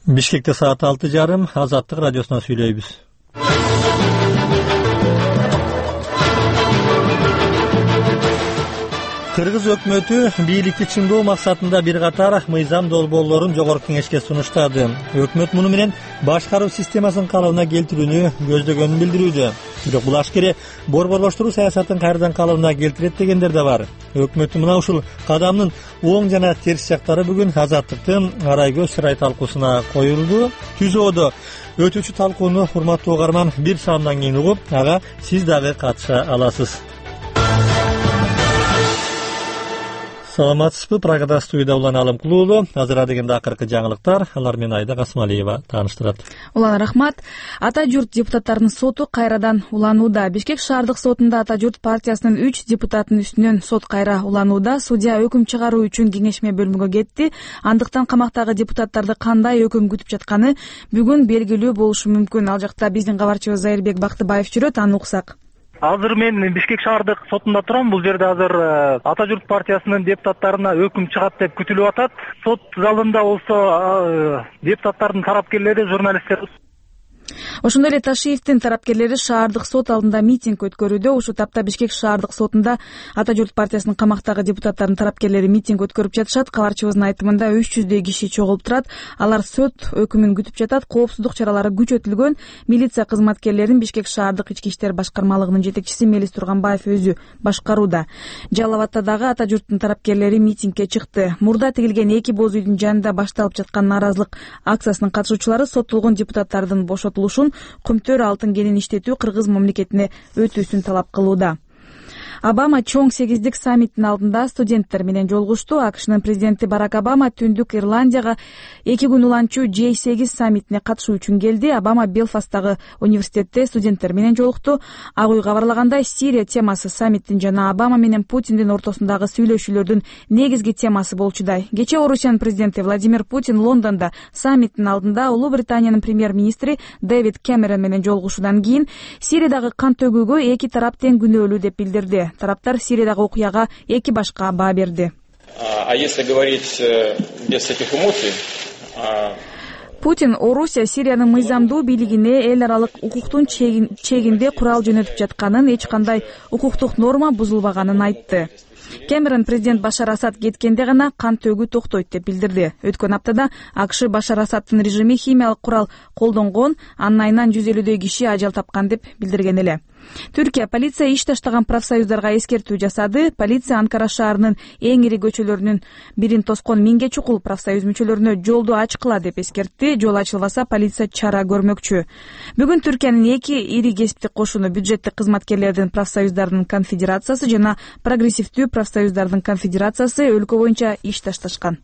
Бишкекте саат 6:30 Азаттык радиосуна сүйлөйбүз. Кыргыз өкмөтү бийликти чыңдоо максатында бир катар мыйзам долбоорлорун Жогорку Кеңешке сунуштады. Өкмөт муну менен башкаруу системасын калыбына келтирүүнү көздөгөнүн билдирүүдө. Бирок бул ашкере борборлоштуруу саясатын кайрадан калыбына келтирет дегендер да бар. Өкмөттүн мына ушул кадамынын оң жана терс жактары бүгүн Азаттыктын арай көз сырай талкуусуна коюлду. Түзөөдө өтүүчү талкууну урматтуу угарман бир саамдан кийин угуп, ага сиз дагы катыша аласыз. Саламатсызбы? Прагада студияда Улан Алымкулуулу. Азыр дегенде акыркы жаңылыктар. Алар менен Айда Касмалиева тааныштырат. Улан рахмат. Ата журт депутаттарынын соту кайрадан уланууда. Бишкек шаардык сотунда Ата журт партиясынын 3 депутатынын үстүнөн сот кайра уланууда. Судья өкүм чыгаруу үчүн кеңешме бөлмөгө кетти. Андыктан камактагы депутаттарды кандай өкүм күтүп жатканы бүгүн белгилүү болушу мүмкүн. Ал жакта биздин кабарчыбыз Зайырбек Бактыбаев жүрөт, аны уксак. Азыр мен Бишкек шаардык сотунда турам. Бул жерде азыр Ата журт партиясынын депутаттарына өкүм чыгат деп күтүлүп атат. Сот залында болсо депутаттардын тарапкерлери, журналисттер. Ошондой эле Ташиевдин тарапкерлери шаардык сот алдында митинг өткөрүүдө. Ушул тапта Бишкек шаардык сотунда Ата журт партиясынын камактагы депутаттардын тарапкерлери митинг өткөрүп жатышат. Кабарчыбыздын айтымында 300дөй киши чогулуп турат. Алар сот өкүмүн күтүп жатат. Коопсуздук чаралары күчөтүлгөн. Милиция кызматкерлерин Бишкек шаардык ички иштер башкармалыгынын жетекчиси Мелис Турганбаев өзү башкарууда. Жалал Абадта дагы Ата журттун тарапкерлери митингге чыкты. Мурда тигилген 2 боз үйдүн жанында башталып жаткан нааразылык акциясынын катышуучулары соттолгон депутаттардын бошотулушун, Кумтөр алтын кенин иштетүү Кыргыз мамлекетине өтүүсүн талап кылууда. Обама чоң 8-дик саммиттин алдында студенттер менен жолугушту. АКШнын президенти Барак Обама Түндүк Ирландияга 2 күн уланчу J8 саммитине катышуу үчүн келди. Обама Белфасттагы университетте студенттер менен жолукту. Ак үй кабарлагандай, Сирия темасы саммиттин жана Обама менен Путиндин ортосундагы сүйлөшүүлөрдүн негизги темасы болчудай. Кечээ Орусиянын президенти Владимир Путин Лондондо саммиттин алдында Улуу Британиянын премьер-министри Дэвид Кэмерон менен жолугушуудан кийин Сириядагы кан төгүүгө эки тарап тең күнөөлүү деп билдирди. Тараптар Сириядагы окуяга эки башка баа берди. А если говорить без этих эмоций, Путин Орусия Сириянын мыйзамдуу бийлигине эл аралык укуктун чегинде курал жөнөтүп жатканын, эч кандай укуктук норма бузулбаганын айтты. Кэмерон президент Башар Асад кеткенде гана кан төгүү токтойт деп билдирди. Өткөн аптада АКШ Башар Асадтын режими химиялык курал колдонгон, анын айынан 150дөй киши ажал тапкан деп билдирген эле. Түркия полиция иш таштаган профсоюздарга эскертүү жасады. Полиция Анкара шаарынын эң ири көчөлөрүнүн бирин тоскон 1000 чукул профсоюз мүчөлөрүнө жолду ачкыла деп эскертти. Жол ачылбаса полиция чара көрмөкчү. Бүгүн Түркиянын эки ири кесиптик кошуну бюджеттик кызматкерлердин профсоюздарынын конфедерациясы жана прогрессивдүү профсоюздардын конфедерациясы өлкө боюнча иш ташташкан.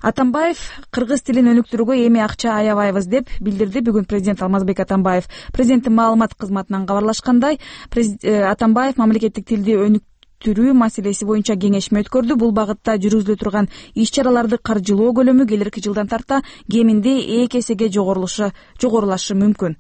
Атамбаев кыргыз тилин өнүктүрүүгө эми акча аябайбыз деп билдирди бүгүн президент Алмазбек Атамбаев. Президенттин маалымат кызматынан кабарлашкандай, Атамбаев мамлекеттик тилди өнүктүрүү маселеси боюнча кеңешме өткөрдү. Бул багытта жүргүзүлө турган иш-чараларды каржылоо көлөмү келерки жылдан тарта кеминде 2 эсеге жогорулашы мүмкүн.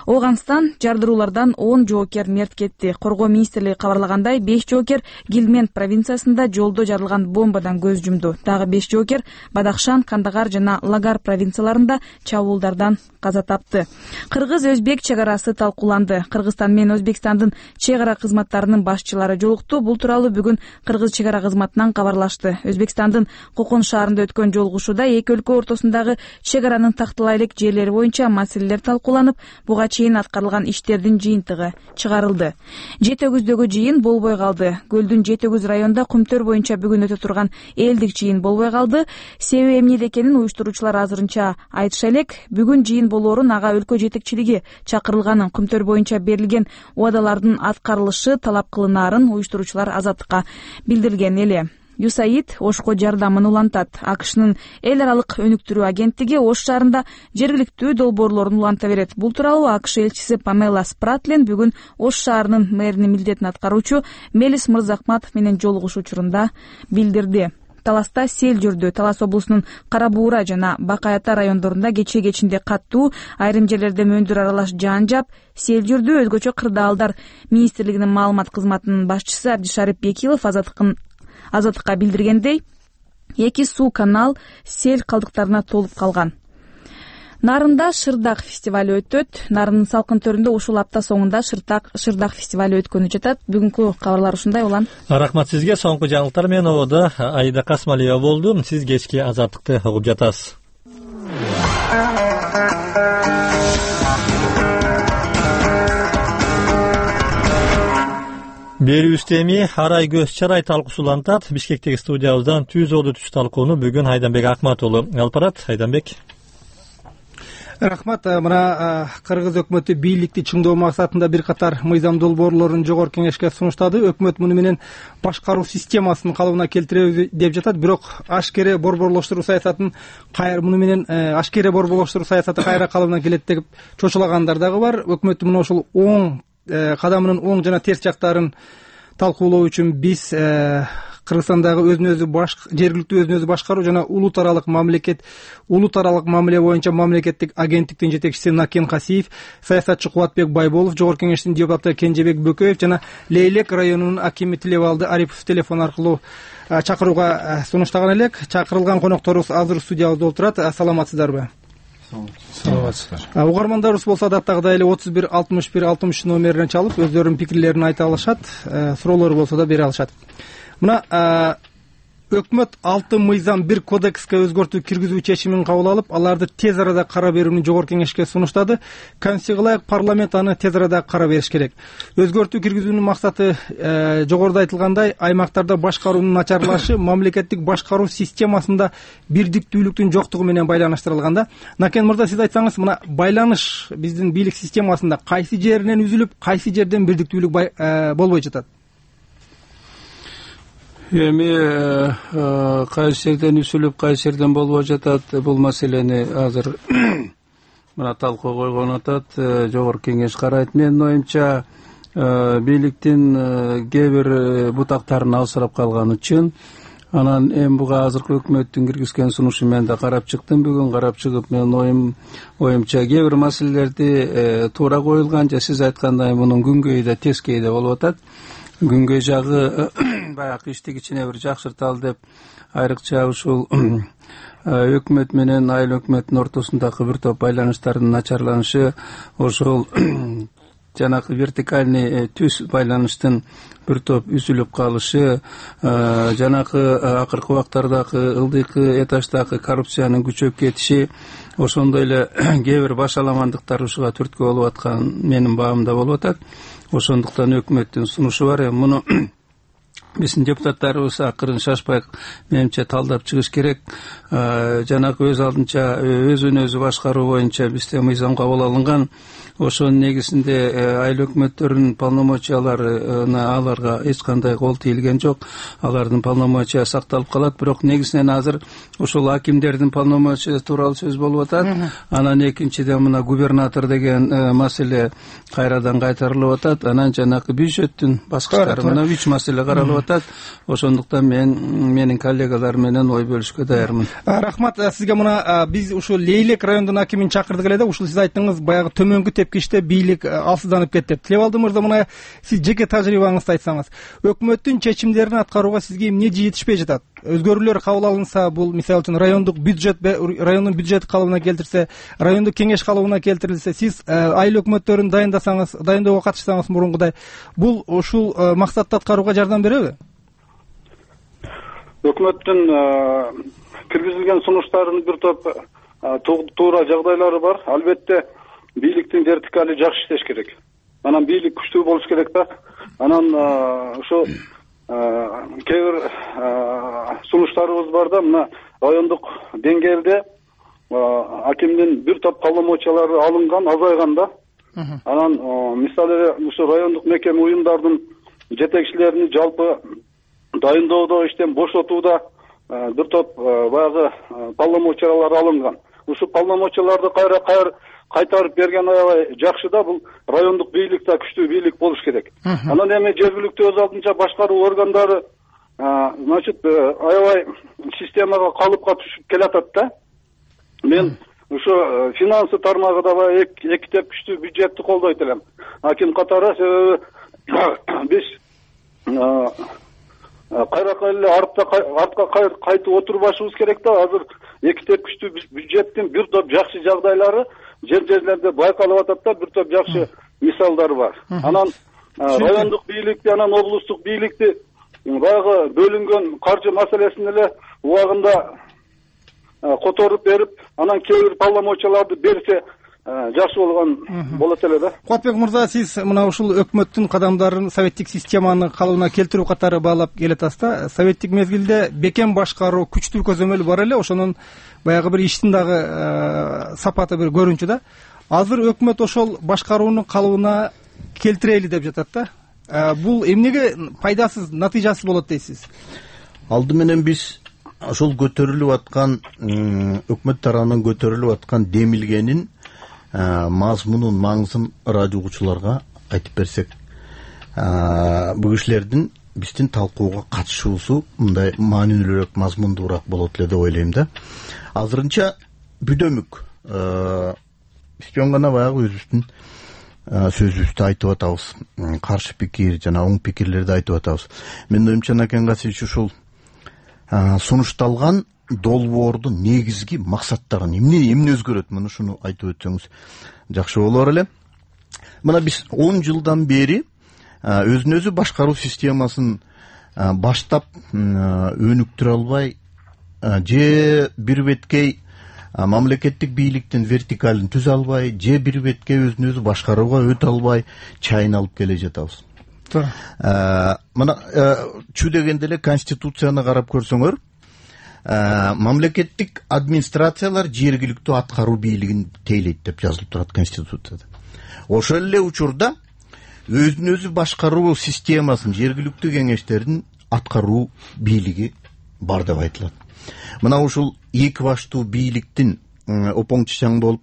Ооганстан жардыруулардан 10 жоокер мерт кетти. Коргоо министрлиги кабарлагандай, 5 жоокер Гилмент провинциясында жолдо жарылган бомбадан көз жумду. Дагы 5 жоокер Бадахшан, Кандагар жана Лагар провинцияларында чабуулдардан каза тапты. Кыргыз-Өзбек чек арасы талкууланды. Кыргызстан менен Өзбекстандын чек ара кызматтарынын башчылары жолукту. Бул тууралуу бүгүн Кыргыз чек ара кызматынан кабарлашты. Өзбекстандын Кокон шаарында өткөн жолугушууда эки өлкө ортосундагы чек аранын тактылай элек жерлери боюнча маселелер талкууланып, буга чейин аткарылган иштердин жыйынтыгы чыгарылды. Жетөгүздөгү жыйын болбой калды. Көлдүн Жетөгүз районунда Кумтөр боюнча бүгүн өтө турган элдик жыйын болбой калды. Себеби эмнеде экенин уюштуруучулар азырынча айтыша элек. Бүгүн жыйын болоорун ага өлкө жетекчилиги чакырылганын, Кумтөр боюнча берилген убадалардын аткарылышы талап кылынаарын уюштуруучулар Азаттыкка билдирген эле. ЮСАИД Ошко жардамын улантат. АКШнын эл аралык өнүктүрүү агенттиги Ош шаарында жергиликтүү долбоорлорун уланта берет. Бул тууралуу АКШ элчиси Памела Спратлин бүгүн Ош шаарынын мэринин милдетин аткаруучу Мелис Мырзахматов менен жолугушуу учурунда билдирди. Таласта сел жүрдү. Талас облусунун Кара Буура жана Бакай Ата райондорунда кече-кечинде каттуу, айрым жерлерде мөндүр аралаш жаан жаап, сел жүрдү. Өзгөчө кырдаалдар министрлигинин маалымат кызматынын башчысы Абдишарип Бекилов Азаттыкка билдиргендей, эки суу канал сел калдыктарына толуп калган. Нарында Шырдак фестивалю өтөт. Нарындын салкын төрүндө ушул апта соңунда Шырдак фестивалю өткөнү жатат. Бүгүнкү кабарлар ушундай улан. Рахмат сизге. Соңку жаңылыктар менен ободо Аида Касмалиева болду. Сиз кечки Азаттыкты угуп жатасыз. Берүүбүздө эми арай көз чарай талкуусу улантат. Бишкектеги студиябыздан түз оду түз талкууну бүгүн Айданбек Акмат уулу алып барат. Айданбек. Рахмат. Мына Кыргыз өкмөтү бийликти чыңдоо максатында бир катар мыйзам долбоорлорун жогорку кеңешке сунуштады. Өкмөт муну менен башкаруу системасын калыбына келтиребиз деп жатат. Бирок ашкере борборлоштуруу саясатын муну менен ашкере борборлоштуруу саясаты кайра калыбына келет деп чочулагандар дагы бар. Өкмөттүн мына ушул оң кадамынын оң жана терс жактарын талкуулоо үчүн биз Кыргызстандагы жергиликтүү өзүн өзү башкаруу жана улут аралык мамиле боюнча мамлекеттик агенттиктин жетекчиси Накен Касиев, саясатчы Кубатбек Байболов, жогорку кеңештин депутаты Кенжебек Бөкөев жана Лейлек районунун акими Тилебалды Арипов телефон аркылуу чакырууга сунуштаган элек. Чакырылган конокторубуз азыр студиябызда отурат. Саламатсыздарбы? Саламатсыздар. Угармандарыбыз болсо адаттагыдай эле 31 61 60 номерине чалып өздөрүнүн пикирлерин айта алышат, суроолору болсо да бере алышат. Мына өкмөт 6 мыйзам 1 кодекске өзгөртүү киргизүү чечимин кабыл алып, аларды тез арада кара берүүнү жогорку кеңешке сунуштады. Конституцияга ылайык парламент аны тез арада кара бериш керек. Өзгөртүү киргизүүнүн максаты жогоруда айтылгандай аймактарда башкаруунун начарлашы мамлекеттик башкаруу системасында бирдиктүүлүктүн жоктугу менен байланыштырылган да. Накен мырза, сиз айтсаңыз, мына байланыш биздин бийлик системасында кайсы жеринен үзүлүп, кайсы жерден бирдиктүүлүк болбой жатат? Эми кайсы жерден үзүлүп, кайсы жерден болбой жатат, бул маселени азыр мына талкууга койгон атат. Жогорку кеңеш карайт. Менин оюмча, бийликтин кээ бир бутактарын алсырап калганы чын. Анан эми буга азыркы өкмөттүн киргизген сунушу менен да карап чыктым. Бүгүн карап чыгып, менин оюмча кээ бир маселелерди туура коюлган, же сиз айткандай мунун күнгөйү да тескейи да болуп атат. Күнгөй жагы баягы иштик ичине бир жакшырталы деп, айрыкча ушул өкмөт менен айыл өкмөттүн ортосундагы бир топ байланыштардын начарланышы, ошол жанагы вертикальный түз байланыштын бир топ үзүлүп калышы, жанагы акыркы убактардагы ылдыйкы этаждагы коррупциянын күчөп кетиши, ошондой эле кээ бир башаламандыктар ушуга түрткү болуп аткан менин баамда болуп атат. Ошондуктан өкмөттүн сунушу бар. Муну биздин депутаттарыбыз акырын шашпай менимче талдап чыгыш керек. Жанагы өз алдынча өзүн өзү башкаруу боюнча бизде мыйзам кабыл алынган. Ошонун негизинде айыл өкмөттөрүнүн полномочияларына аларга эч кандай кол тийилген жок. Алардын полномочия сакталып калат. Бирок негизинен азыр ушул акимдердин полномочиясы тууралуу сөз болуп атат. Анан экинчиден мына губернатор деген маселе кайрадан кайтарылып атат. Анан жанагы бюджеттин баскычтары мына 3 маселе каралып атат. Ошондуктан менин коллегаларым менен ой бөлүшкө даярмын. Рахмат сизге. Мына биз ушул Лейлек районунун акимин чакырдык эле да. Ушул сиз айттыңыз, баягы төмөнгү тепкичте бийлик алсызданып кетти деп. Тилебалды мырза, мына сиз жеке тажрыйбаңызды айтсаңыз, өкмөттүн чечимдерин аткарууга сизге эмне жетишпей жатат? Өзгөрүүлөр кабыл алынса, бул мисалы үчүн райондун бюджет калыбына келтирсе, райондук кеңеш калыбына келтирилсе, сиз айыл өкмөттөрүн дайындоого катышсаңыз мурункудай, бул ушул максатты аткарууга жардам береби? Өкмөттүн киргизилген сунуштарынын бир топ туура жагдайлары бар. Албетте бийликтин вертикали жакшы иштеш керек. Анан бийлик күчтүү болуш керек да. Анан ошо кээ бир сунуштарыбыз бар да, мына райондук деңгээлде акимдин бир топ полномочиялары алынган, азайган да. Анан мисалы ушу райондук мекеме уюмдардын жетекчилерини жалпы дайындоодо, иштен бошотууда бир топ баягы полномочиялар алынган. Ушу полномочияларды кайтарып берген аябай жакшы да. Бул райондук бийлик да күчтүү бийлик болуш керек. Анан эми жергиликтүү өз алдынча башкаруу органдары значит аябай системага калыпка түшүп келатат да. Мен ушу финансы тармагында баягы эки күчтүү бюджетти колдойт элем. Аким катары, себеби биз кайрака эле артка кайтып отурбашыбыз керек да. Азыр эки тепкичтүү бюджеттин бир топ жакшы жагдайлары жерлерде байкалып атат да, бир топ жакшы мисалдар бар. Анан райондук бийликти, анан облустук бийликти баягы бөлүнгөн каржы маселесин эле убагында которуп берип, анан кээ бир полномочияларды берсе жакшы болот эле да. Кубатбек мырза, сиз мына ушул өкмөттүн кадамдарын советтик системаны калыбына келтирүү катары баалап келатасыз да. Советтик мезгилде бекем башкаруу, күчтүү көзөмөл бар эле, ошонун баягы бир иштин дагы сапаты бир көрүнчү да. Азыр өкмөт ошол башкарууну калыбына келтирели деп жатат да. Бул эмнеге пайдасыз, натыйжасыз болот дейсиз? Алды менен биз ошол көтөрүлүп аткан өкмөт тарабынан көтөрүлүп аткан демилгенин мазмунун маңызын радио угуучуларга айтып берсек, бул кишилердин биздин талкууга катышуусу мындай маанилүүрөөк, мазмундуураак болот эле деп ойлойм да. Азырынча бүдөмүк биз жөн гана баягы өзүбүздүн сөзүбүздү айтып атабыз, каршы пикир жана оң пикирлерди айтып атабыз. Менин оюмча Накен Гасиевич ушул сунушталган долбоордун негизги максаттарын эмне өзгөрөт, мына ушуну айтып өтсөңүз жакшы болор эле. Мына биз 10 жылдан бери өзүн өзү башкаруу системасын баштап өнүктүрө албай, же бир беткей мамлекеттик бийликтин вертикалын түзө албай, же бир беткей өзүн өзү башкарууга өтө албай чайналып келе жатабыз. Мына чү дегенде эле Конституцияны карап көрсөңөр, мамлекеттик администрациялар жергиликтүү аткаруу бийлигин тейлейт деп жазылып турат Конституцияда. Ошол эле учурда өзүн өзү башкаруу системасын, жергиликтүү кеңештердин аткаруу бийлиги бар деп айтылат. Мына ушул эки баштуу бийликтин опоң чачаң болуп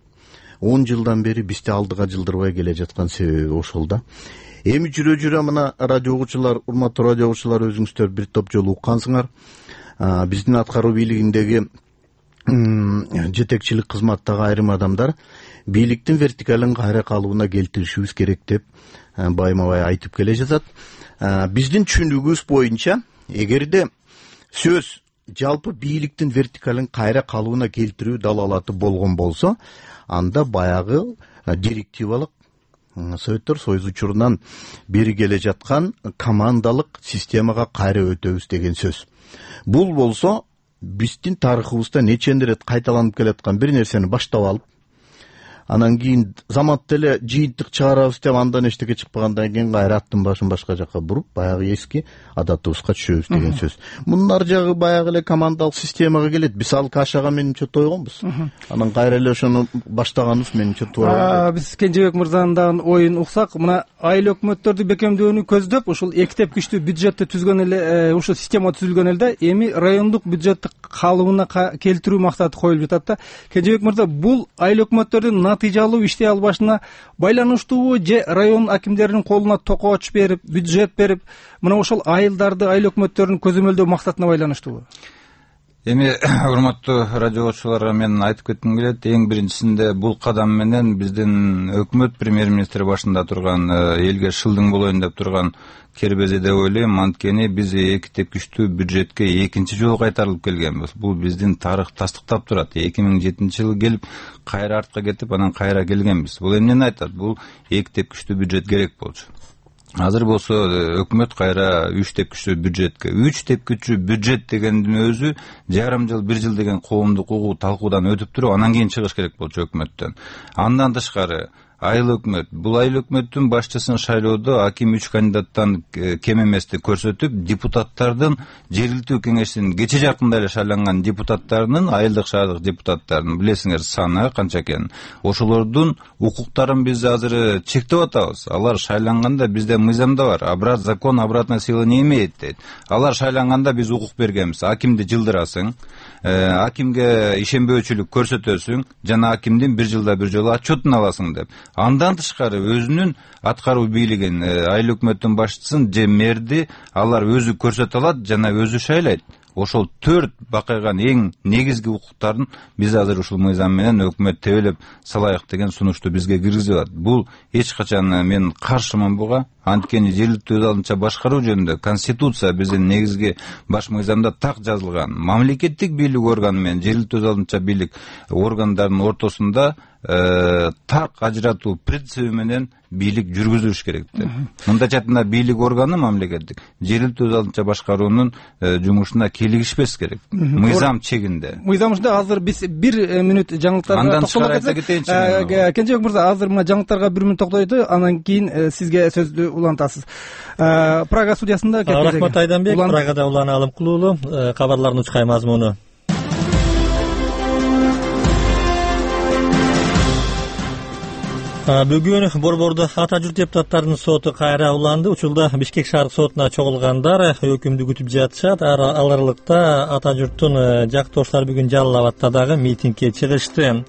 10 жылдан бери бизди алдыга жылдырбай келе жаткан себеби ошол да. Эми жүрө мына радио угуучулар, урматтуу радио угуучулар, өзүңүздөр бир топ жолу уккансыңар. Биздин аткаруу бийлигиндеги жетекчилик кызматтагы айрым адамдар бийликтин вертикалын кайра калыбына келтиришибиз керек деп байма-бай айтып келе жатат. Биздин түшүнүгүбүз боюнча, эгерде сөз жалпы бийликтин вертикалын кайра калыбына келтирүү далалаты болгон болсо, анда баягы директивалык Советтер Союзу учурунан бери келе жаткан командалык системага кайра өтөбүз деген сөз. Бул болсо биздин тарыхыбызда нечендер рет кайталанып келаткан бир нерсени баштап алып, анан кийин заматта эле жыйынтык чыгарабыз деп андан эчтеке чыкпагандан кийин кайра аттын башын башка жакка буруп, баягы эски адатыбызга түшөбүз деген сөз. Мунун ар жагы баягы эле командалык системага келет. Биз ал кашага менимче тойгонбуз. Анан кайра эле ошону баштаганыбыз менимче туура. Биз Кенжебек мырзанын дагы оюн уксак, мына айыл өкмөттөрдү бекемдөөнү көздөп, ушул эки тепкичтүү бюджетти түзгөн эле, ушул система түзүлгөн эле да, эми райондук бюджетти калыбына келтирүү максаты коюлуп жатат да. Кенжебек мырза, бул айыл өкмөттөрдүн натыйжалуу иштей албашына байланыштуубу, же район акимдеринин колуна токоч берип, бюджет берип, мына ошол айылдарды, айыл өкмөттөрүн көзөмөлдөө максатына байланыштуубу? Эми урматтуу радио угуучуларга мен айтып кетким келет. Эң биринчисинде бул кадам менен биздин өкмөт премьер-министр башында турган, элге шылдың болоюн деп турган кербези деп ойлойм. Анткени биз эки тепкичтүү бюджетке экинчи жолу кайтарылып келгенбиз. Бул биздин тарых тастыктап турат. 2007-жылы келип, кайра артка кетип, анан кайра келгенбиз. Бул эмнени айтат? Бул эки тепкичтүү бюджет керек болчу. Азыр болсо өкмөт кайра 3 тепкичтүү бюджетке. 3 тепкичтүү бюджет дегендин өзү жарым жыл, 1 жыл деген коомдук угуу талкуудан өтүп туруп, анан кийин чыгыш керек болчу өкмөттөн. Андан тышкары айыл өкмөт, бул айыл өкмөттүн башчысын шайлоодо аким 3 кандидаттан кем эмести көрсөтүп, депутаттардын жергиликтүү кеңештин кече жакында эле шайланган депутаттарынын, айылдык шаардык депутаттарынын билесиңер саны канча экенин. Ошолордун укуктарын биз азыр чектеп атабыз. Алар шайланганда бизде мыйзамда бар. Закон обратной силы не имеет дейт. Алар шайланганда биз укук бергенбиз. Акимди жылдырасың, акимге ишенбөөчүлүк көрсөтөсүң, жана акимдин 1 жылда 1 жолу отчетун аласың деп. Андан тышкары өзүнүн аткаруу бийлигин, айыл өкмөттүн башчысын же мэрди алар өзү көрсөтө алат жана өзү шайлайт. Ошол 4 бакайган эң негизги укуктарын биз азыр ушул мыйзам менен өкмөт тебелеп салайык деген сунушту бизге киргизип атат. Бул эч качан мен каршымын буга. Анткени жергиликтүү өз алдынча башкаруу жөнүндө Конституция биздин негизги баш мыйзамда так жазылган. Мамлекеттик бийлик органы менен жергиликтүү өз алдынча бийлик органдарынын ортосунда так ажыратуу принциби менен бийлик жүргүзүлүш керек деп. Мындайча айтканда бийлик органы мамлекеттик жергиликтүү өз алдынча башкаруунун жумушуна кийлигишпес керек. Мыйзам чегинде. Мыйзам ичинде азыр биз 1 мүнөт жаңылыктарга токтоло кетсек. Кенжебек мырза, азыр мына жаңылыктарга 1 мүнөт токтойлу, анан кийин сизге сөздү улантасыз. Прага судьясында Рахмат Айданбек, Прагада улан алым кылуулу кабарлардын учкай мазмуну. Бүгүн Борбордо ата журт депутаттарынын соту кайра уланды. Учурда Бишкек шаардык сотуна чогулгандар өкүмдү күтүп жатышат. Ал аралыкта ата журттун жактооштору бүгүн Жалал Абадта дагы митингге чыгышты.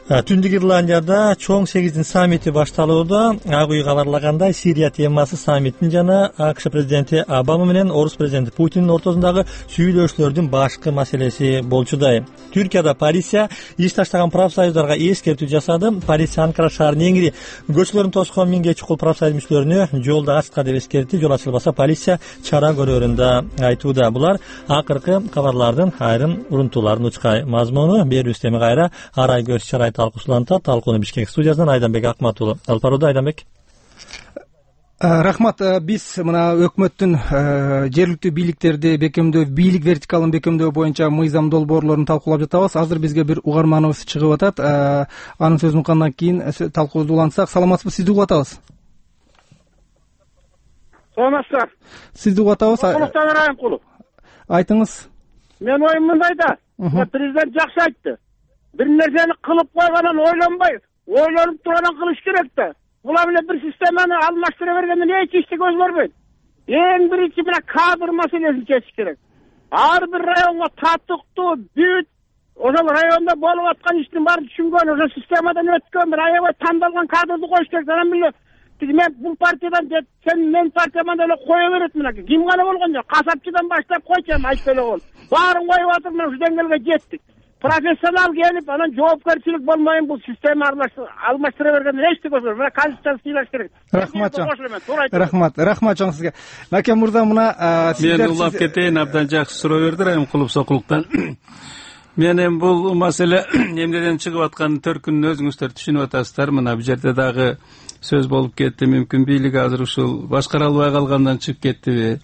Түндүк Ирландияда чоң 8 саммити башталууда. Ак үй кабарлагандай, Сирия темасы саммиттин жана АКШ президенти Обама менен орус президенти Путиндин ортосундагы сүйлөшүүлөрдүн башкы маселеси болчудай. Түркияда полиция иш таштаган профсоюздарга эскертүү жасады. Полиция Анкара шаарынын эңири көчөлөрүн тоскон 1000ге чукул профсоюз мүчөлөрүнө жолду ачка деп эскертти. Жол ачылбаса полиция чара көрөрүн да айтууда. Булар акыркы кабарлардын айрым урунтууларын учкай мазмуну. Берүүбүз эми кайра арай көз чарай талкуусулантат. Талкууну Бишкек студиясынан Айданбек Акматулу алып барууда. Айданбек. Рахмат. Биз мына өкмөттүн жергиликтүү бийликтерди бекемдөө, бийлик вертикалын бекемдөө боюнча мыйзам долбоорлорун талкуулап жатабыз. Азыр бизге бир угарманыбыз чыгып атат. Анын сөзүн уткандан кийин талкуубузду улантсак. Саламатсызбы? Сизди угуп атабыз. Саламатсыздар. Сизди угуп атабыз. Кулуктан Райымкулов. Айтыңыз. Мен оюм мындай да. Президент жакшы айтты. Bir nerseni kılıp koyganan oylanbay, oylanıp duranan kılış gerek de. Bula bile bir sistemini almastıravergende ne içişti göz görmeyin. En birinci bile kadr meselesini geçiş gerek. Her bir rayonga tatlıktı, büyüt, o zaman rayonda bolup atkan işin var düşüngön, o zaman sistemadan ötken, rayona tandalgan kadrdı koyuş gerek. Zaten bile, men bu partiyadan, sen men partiyadan öyle koyuveret mi? Kim gana olgan ya? Kasapçıdan başlayıp koyacağım, ayıp öyle ol. Barın koyup atırmın, şu dengelge gettik. Profesyonel gelip anan жоопкерчилик болмайын бул система алмаштыра бергенде эчтеке болбойт. Мына конституцияны сыйлаш керек. Рахмат чоң сизге. Накен мырза, мына мен улап кетейин, абдан жакшы суроо берди Райымкулов Сокулуктан. Мен эми бул маселе эмнеден чыгып атканын төркүнүн өзүңүздөр түшүнүп атасыздар. Мына бул жерде дагы сөз болуп кетти. Мүмкүн бийлик азыр ушул башкара албай калгандан чыгып кеттиби?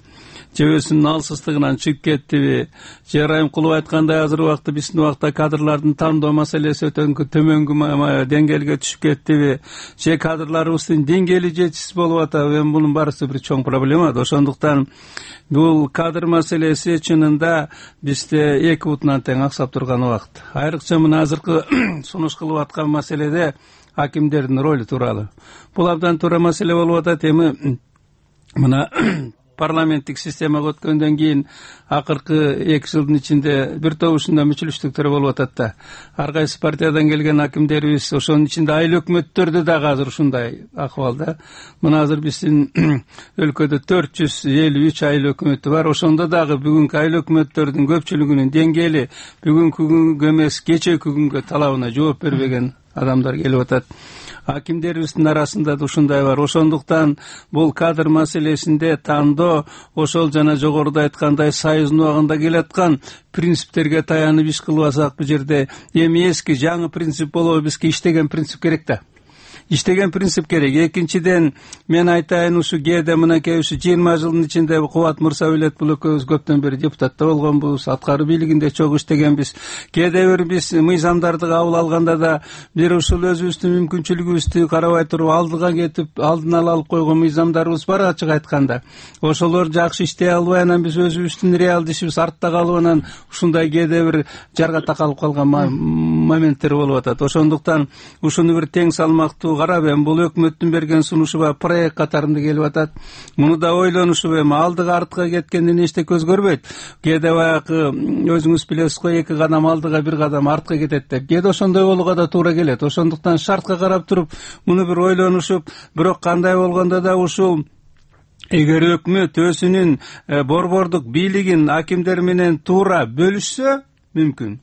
Же өзүнүн алсыздыгынан чыгып кеттиби? Же Райымкулов айткандай азыр убакта биздин убакта кадрлардын тандоо маселеси өтө төмөнгү деңгээлге түшүп кеттиби? Же кадрларыбыздын деңгээли жетишсиз болуп атабы? Эми бунун барысы бир чоң проблема. Ошондуктан бул кадр маселеси чынында бизде 2 бутунан тең аксап турган убакыт. Айрыкча мына азыркы сунуш кылып аткан маселеде акимдердин ролу тууралуу. Бул абдан туура маселе болуп атат. Эми мына парламенттик системага өткөндөн кийин акыркы 2 жылдын ичинде бир топ ушундай мүчүлүштүктөр болуп атат да. Ар кайсы партиядан келген акимдерибиз, ошонун ичинде айыл өкмөттөрдө дагы азыр ушундай акыбалда. Мына азыр биздин өлкөдө 453 айыл өкмөтү бар. Ошондо дагы бүгүнкү айыл өкмөттөрдүн көпчүлүгүнүн деңгээли бүгүнкү күнгө эмес, кечээки күнгө талабына жооп бербеген адамдар келип атат. Акимдерибиздин арасында да ушундай бар. Ошондуктан бул кадр маселесинде тандоо ошол жана жогоруда айткандай союздун убагында келаткан принциптерге таянып иш кылбасак, бул жерде эми эски жаңы принцип болобу, бизге иштеген принцип керек да. Иштеген принцип керек. Экинчиден мен айтайын, ушу кээде мынакей ушу 20 жылдын ичинде Кубат Мырзабилет бул экөөбүз көптөн бери депутатта болгонбуз, аткаруу бийлигинде чогуу иштегенбиз. Кээде бир биз мыйзамдарды кабыл алганда да бир ушул өзүбүздүн мүмкүнчүлүгүбүздү карабай туруп алдыга кетип, алдын ала алып койгон мыйзамдарыбыз бар, ачык айтканда. Ошолор жакшы иштей албай, анан биз өзүбүздүн реалдуу ишибиз артта калып, анан ушундай кээде бир жарга такалып калган моменттер болуп атат. Ошондуктан ушуну бир тең салмактуу карап, эми бул өкмөттүн берген сунушу бар проект катарында келип атат. Муну да ойлонушу, эми алдыга артка кеткенден эчте көз көрбөйт. Кээде баягы өзүңүз билесиз го, 2 кадам алдыга 1 кадам артка кетет деп. Кээде ошондой болууга да туура келет. Ошондуктан шартка карап туруп, муну бир ойлонушуп, бирок кандай болгондо да ушул эгер өкмөт өзүнүн борбордук бийлигин акимдер менен туура бөлүшсө мүмкүн.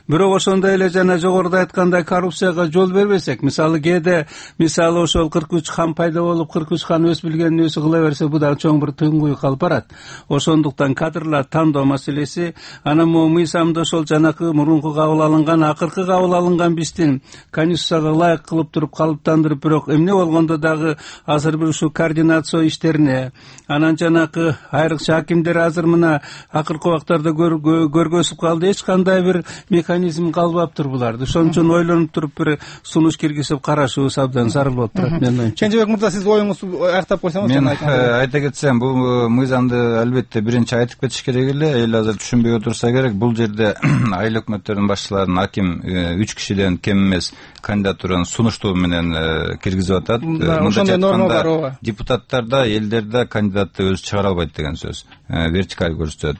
бирок ошондой эле жана жогоруда айткандай коррупцияга жол бербесек, мисалы кээде мисалы ошол 43 хан пайда болуп 43 хан өз билгенин өзү кыла берсе, бул дагы чоң бир тынгуй калып барат. Ошондуктан кадрлар тандоо маселеси, анан могу мыйзамда ошол жанакы мурунку кабыл алынган, акыркы кабыл алынган биздин конституцияга ылайык кылып туруп калыптандырып, бирок эмне болгондо дагы азыр бир ушу координация иштерине, анан жанакы айрыкча акимдер азыр мына акыркы убактарда көргөзүп калды, эч кандай бир механизм калбаптыр буларды. Ошон үчүн ойлонуп туруп бир сунуш киргизип карашыбыз абдан зарыл болуп турат менин оюмча. Кенжебек мырза, сиз оюңузду аяктап койсоңуз. Мен айта кетсем, бул мыйзамды албетте биринчи айтып кетиш керек эле. Эл азыр түшүнбөй отурса керек. Бул жерде айыл өкмөттөрдүн башчыларын аким 3 кишиден кем эмес кандидатураны сунуштоо менен киргизип атат. Ошондой норма бар, ооба. Депутаттарда, элдерде кандидатты өзү чыгара албайт деген сөз. Вертикаль көрсөтөт.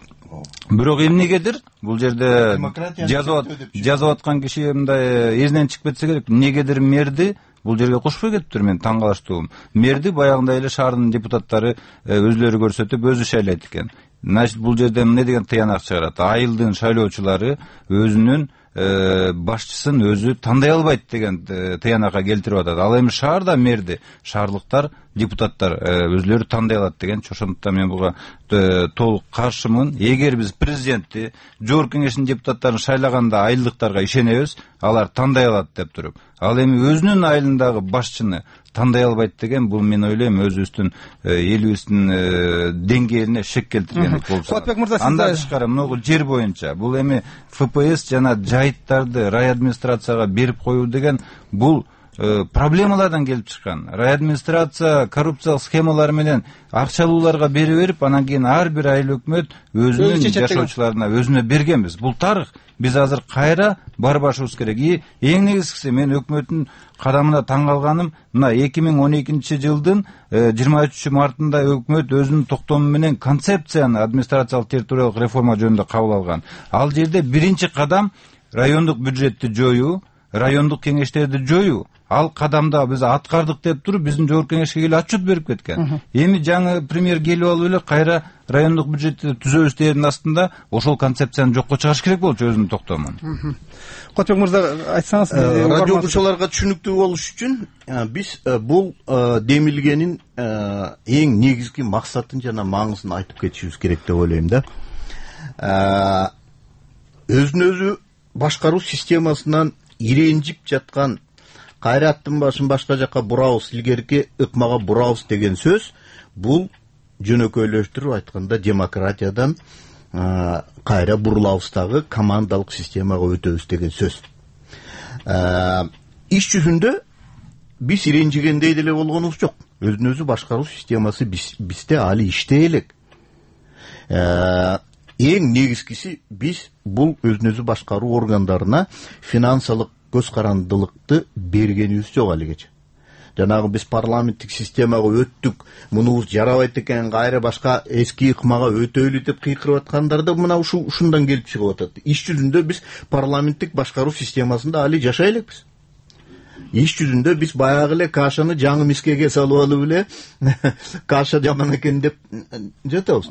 Бирок эмнегедир бул жерде жазып аткан киши мындай эзинен чыгып кетсе керек. Эмнегедир мэрди бул жерге кошпой кетиптир. Мен таң калыштуум. Мэрди баягындай эле шаардын депутаттары өзлөрү көрсөтүп, өзү шайлайт экен. Значит, бул жерде эмне деген тыянак чыгарат? Айылдын шайлоочулары өзүнүн башчысын өзү тандай албайт деген тыянакка келтирип атат. Ал эми шаарда мэрди шаардыктар, депутаттар өзлөрү тандай алат деген. Ошондуктан мен буга толук каршымын. Эгер биз президентти, жогорку кеңештин депутаттарын шайлаганда айылдыктарга ишенебиз, алар тандай алат деп туруп, ал эми өзүнүн айылындагы башчыны тандай албайт деген, бул мен ойлойм өзүбүздүн элибиздин деңгээлине шек келтирген болуп калат. Андан тышкары могу жер боюнча бул эми ФПС жана жайыттарды райадминистрацияга берип коюу деген бул проблемалардан келип чыккан. Райадминистрация коррупциялык схемалар менен акчалууларга берип, анан кийин ар бир айыл өкмөт өзүнүн жашоочуларына өзүнө бергенбиз. Бул тарых. Биз азыр кайра барбашыбыз керек. Эң негизгиси мен өкмөттүн кадамына таң калганым, мына 2012 жылдын 23 мартында өкмөт өзүнүн токтому менен концепцияны администрациялык территориялык реформа жөнүндө кабыл алган. Ал жерде биринчи кадам райондук бюджетти жоюу, райондук кеңештерди жоюу. Ал кадамда биз аткардык деп туруп, биздин жогорку кеңешке келип отчет берип кеткен. Эми жаңы премьер келип алып эле кайра райондук бюджетти түзөбүз дегендин астында ошол концепцияны жокко чыгарыш керек болчу өзүнүн токтомун. Котбек мырза, айтсаңыз, радио окуучуларга түшүнүктүү болуш үчүн биз бул демилгенин эң негизги максатын жана маңызын айтып кетишибиз керек деп ойлойм да. Өзүн өзү башкаруу системасынан иренжип жаткан, кайра аттын башын башка жакка бурабыз, илгерки ыкмага бурабыз деген сөз, бул жөнөкөйлөштүрүп айтканда демократиядан кайра бурулабыздагы командалык системага өтөбүз деген сөз. Иш жүзүндө биз иренжигендей деле болгонубуз жок. Өзүн өзү башкаруу системасы бизде али иштей элек. Эң негизгиси биз бул өзүн өзү башкаруу органдарына финансылык көз карандылыкты бергенибиз жок алигече. Жанагы биз парламенттик системага өттүк, мунубуз жарабайт экен, кайра башка эски ыкмага өтөлү деп кыйкырып аткандар да мына ушундан келип чыгып атат. Иш жүзүндө биз парламенттик башкаруу системасында али жашай элекпиз. Иш жүзүндө биз баягы эле кашаны жаңы мискеге салып алып эле каша жаман экен деп жатабыз.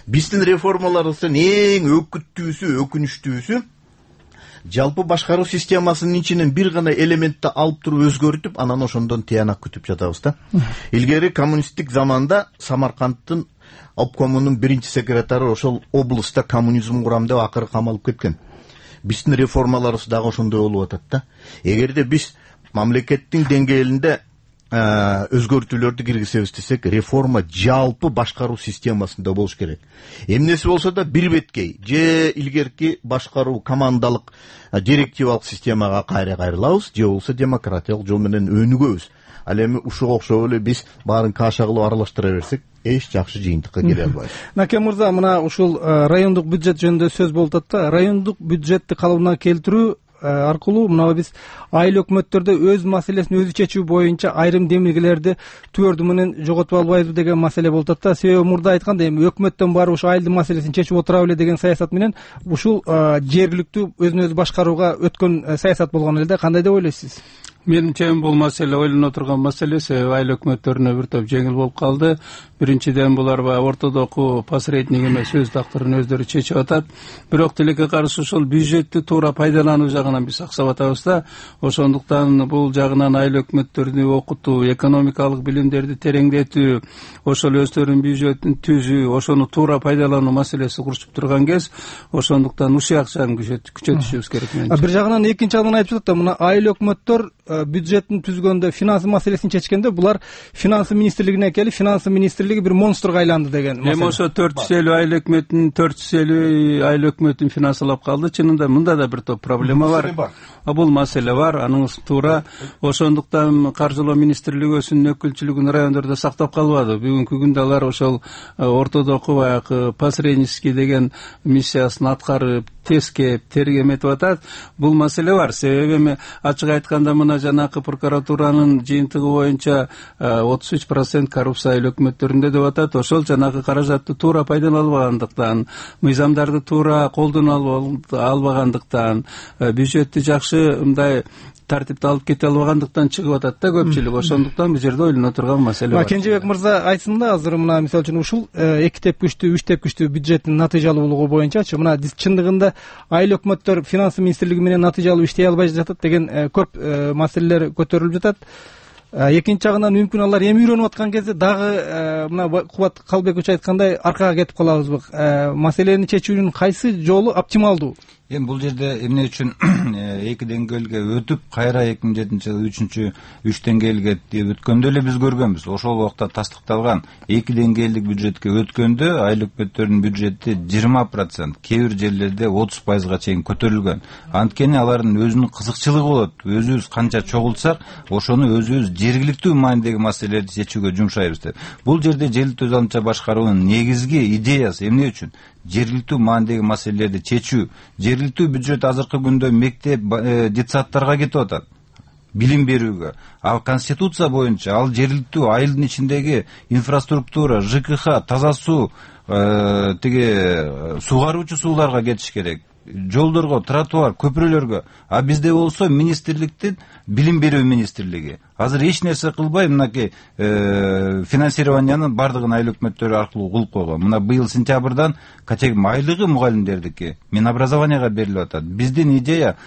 Биздин реформаларыбыздын эң өкүнүчтүүсү жалпы башкаруу системасынын ичинен бир гана элементти алып туруп өзгөртүп, анан ошондон тыянак күтүп жатабыз да. Илгери коммунисттик заманда Самаркандтын обкомунун биринчи секретары ошол облустта коммунизм курам деп акыры камалып кеткен. Биздин реформаларыбыз дагы ошондой болуп атат да. Эгерде биз мамлекеттин деңгээлинде өзгөртүүлөрдү киргизебиз десек, реформа жалпы башкаруу системасында болуш керек. Эмнеси болсо да бир беткей же илгерки башкаруу командалык директивалык системага кайрылабыз, же болбосо демократиялык жол менен өнүгөбүз. Ал эми ушуга окшоп эле биз баарын каша кылып аралаштыра берсек, эч жакшы жыйынтыкка келе албайбыз. Накен мырза, мына ушул райондук бюджет жөнүндө сөз болуп атат да. Райондук бюджетти калыбына келтирүү аркылуу мына биз айыл өкмөттөрдө өз маселесин өзү чечүү боюнча айрым демилгелерди түбөрдү менен жоготуп албайбыз деген маселе болуп атат да. Себеби мурда айткандай, эми өкмөттөн барып ушу айылдын маселесин чечип отура беле деген саясат менен ушул жергиликтүү өзүн өзү башкарууга өткөн саясат болгон эле да. Кандай деп ойлойсуз? Менимче бул маселе ойлоно турган маселе, себеби айыл өкмөттөрүнө бир топ жеңил болуп калды. Биринчиден булар ортодогу посредник эмес, өз тактырын өздөрү чечип атат. Бирок тилекке каршы ошол бюджетти туура пайдалануу жагынан биз аксап атабыз да. Ошондуктан бул жагынан айыл өкмөттөрүнү окутуу, экономикалык билимдерди тереңдетүү, ошол өздөрүнүн бюджетин түзүү, ошону туура пайдалануу маселеси курчуп турган кез, ошондуктан ушул жагын күчөтүшүбүз керек. Бир жагынан экинчи жагынан айтып жатат да, мына айыл өкмөттөр бюджеттин түзгөндө, финансы маселесин чечкенде булар финансы министрлигине келип, финансы министрлиги бир монстрго айланды деген маселе. Эми ошо 450 айыл өкмөтүн финансылап калды. Чынында мында да бир топ проблема бар. Бул маселе бар, анын туура. Ошондуктан каржылоо министрлиги өзүнүн өкүлчүлүгүн райондордо сактап калбады. Бүгүнкү күндө алар ошол ортодогу баягы посреднический деген миссиясын аткарып, тескеп, тергеметип атат. Бул маселе бар. Себеби эми ачык айтканда мына жанакы прокуратуранын жыйынтыгы боюнча 33% коррупция айыл өкмөттөрүндө деп атат. Ошол жанакы каражатты туура пайдаланбагандыктан, мыйзамдарды туура колдоно албагандыктан, бюджетти жакшы мындай тартипти алып кете албагандыктан чыгып атат да көпчүлүк. Ошондуктан бул жерде ойлоно турган маселе бар. Кенжебек мырза айтсын да, азыр мына мисалы үчүн ушул 2 тепкичтүү, 3 тепкичтүү бюджеттин натыйжалуулугу боюнчачы мына чындыгында айыл өкмөттөр финансы министрлиги менен натыйжалуу иштей албай жатат деген көп маселелер көтөрүлүп жатат. Экинчи жагынан мүмкүн алар эми үйрөнүп аткан кезде дагы мына Кубат Калбекович айткандай аркага кетип калабызбы? Маселени чечүүнүн кайсы жолу оптималдуу? Эми бул жерде эмне үчүн эки деңгээлге өтүп, кайра 2007-жылы 3 деңгээлге өткөндө эле биз көргөнбүз. Ошол убакта тастыкталган 2 деңгээлдик бюджетке өткөндө айыл өкмөттөрүнүн бюджети 20%, кээ бир жерлерде 30%га чейин көтөрүлгөн. Анткени алардын өзүнүн кызыкчылыгы болот. Өзүбүз канча чогултсак, ошону өзүбүз жергиликтүү маанидеги маселелерди чечүүгө жумшайбыз деп. Бул жерде желилдүү таланча башкаруунун негизги идеясы эмне үчүн? Жергиликтүү маанидеги маселелерди чечүү. Жергиликтүү бюджет азыркы күндө мектеп, детсадтарга кетип атат, билим берүүгө. Ал конституция боюнча ал жергиликтүү айылдын ичиндеги инфраструктура, ЖКХ, таза суу, тиги сугаруучу сууларга кетиш керек. Жолдорго, тротуар, көпүрөлөргө. А бизде болсо министрликтин билим берүү министрлиги азыр эч нерсе кылбай мынакей финансированиянын бардыгын айыл өкмөттөрү аркылуу кылып койгон. Мына быйыл сентябрдан айлыгы мугалимдердики Минобразованияга берилип атат. Биздин идея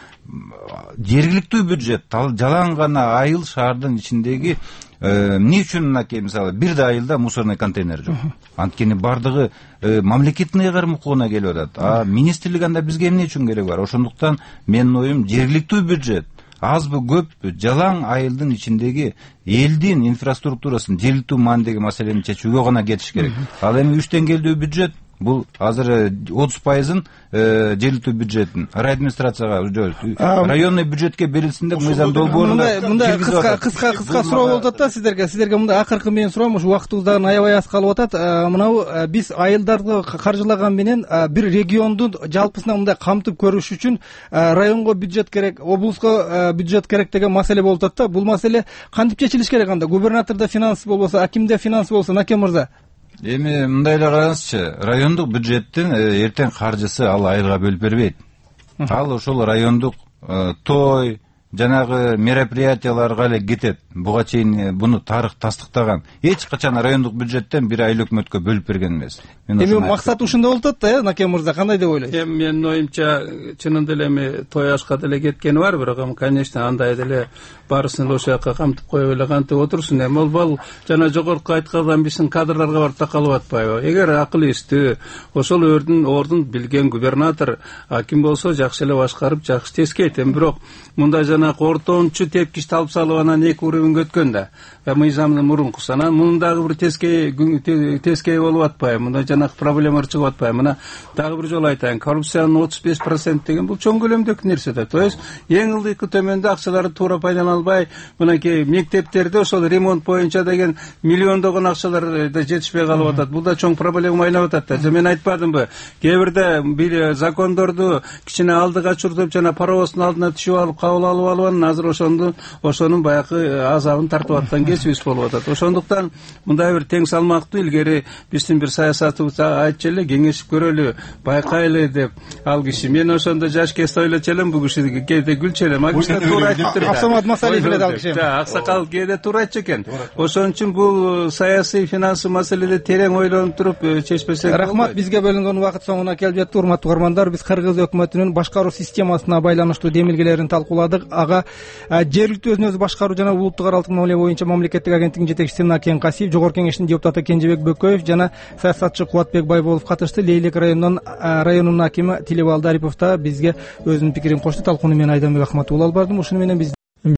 жергиликтүү бюджет, жалаң гана айыл шаардын ичиндеги эмне үчүн мынакей мисалы бир да айылда мусорный контейнер жок. Анткени бардыгы мамлекеттин кармыкууна келип атат. А министрлик анда бизге эмне үчүн кереги бар? Ошондуктан менин оюм жергиликтүү бюджет азбы көппү жалаң айылдын ичиндеги элдин инфраструктурасын жергиликтүү маанидеги маселени чечүүгө гана кетиш керек. Ал эми 3 деңгээлдүү бюджет бул азыр 30%-ын жергиликтүү бюджеттин райадминистрацияга, районный бюджетке берилсин деп мыйзам долбоорунда мындай кыска суроо болуп атат да сиздерге мындай акыркы менен суроом, ушу убактыбыз дагы аябай аз калып атат. Мынабу биз айылдарды каржылаган менен бир регионду жалпысынан мындай камтып көрүш үчүн районго бюджет керек, облуска бюджет керек деген маселе болуп атат да. Бул маселе кантип чечилиш керек анда? Губернатордо финансы болбосо, акимде финансы болсо, Наке мырза? Эми мындай эле караңызчы, райондук бюджеттин эртең каржысы ал айылга бөлүп бербейт. Ал ошол райондук той, жанагы мероприятияларга эле кетет. Буга чейин буну тарых тастыктаган. Эч качан райондук бюджеттен бир айыл өкмөткө бөлүп берген эмес. Эми максат ушунда болуп атат да, Наке мырза, кандай деп ойлойсуз? Эми менин оюмча чынында эле эми той ашка деле кеткени бар, бирок конечно андай деле баарысын ошол жака камтып коюп эле кантип отурсун. Эми бол жана жогорку айткандан биздин кадрларга барып такалып атпайбы? Эгер акыл эстүү, ошол ордун билген губернатор, аким болсо жакшы эле башкарып, жакшы тескейт. Эми бирок мындай жанагы ортончу тепкичти алып салып анан 2 уровеньге өткөн да. Мыйзамдын мурункусу. Анан мунун дагы бир тескей болуп атпайбы? Мындай жанагы проблемалар чыгып атпайбы? Мына дагы бир жолу айтайын. Коррупциянын 35% деген бул чоң көлөмдөгү нерсе да. То есть эң ылдыйкы төмөндө акчаларды туура пайдаланбай, мынакей мектептерде ошол ремонт боюнча деген миллиондогон акчалар да жетишпей калып атат. Бул да чоң проблема айлап атат да. Мен айтпадымбы? Кээ бирде закондорду кичине алдыга чуртуп, жана паровоздун алдына түшүп алып, кабыл алып балбан азыр ошонун баягы азабын тартып аткан кесибибиз болуп атат. Ошондуктан мындай бир тең салмактуу илгери биздин бир саясатыбыз айтчу эле, кеңешип көрөлү, байкайлы деп ал киши. Мен ошондо жаш кезде ойлочу элем, бул киши кээде күлчү элем. Ал киши туура айтыптыр. Абсамат Масалиев эле ал киши. Аксакал кээде туура айтчу экен. Ошон үчүн бул саясий финансы маселеде терең ойлонуп туруп чечпесек болбойт. Рахмат. Бизге бөлүнгөн убакыт соңуна келип жатты. Урматтуу угармандар, биз Кыргыз өкмөтүнүн башкаруу системасына байланыштуу демилгелерин талкууладык. Ага жергиликтүү өзүн өзү башкаруу жана улуттук аралык мамиле боюнча мамлекеттик агенттигинин жетекчиси Накен Касиев, Жогорку Кеңештин депутаты Кенжебек Бөкөев жана саясатчы Кубатбек Байболов катышты. Лейлек районунун акими Тилебал Дарипов да бизге өзүнүн пикирин кошто. Талкууну мен Айданбек Ахматов алып бардым. Ушуну менен биз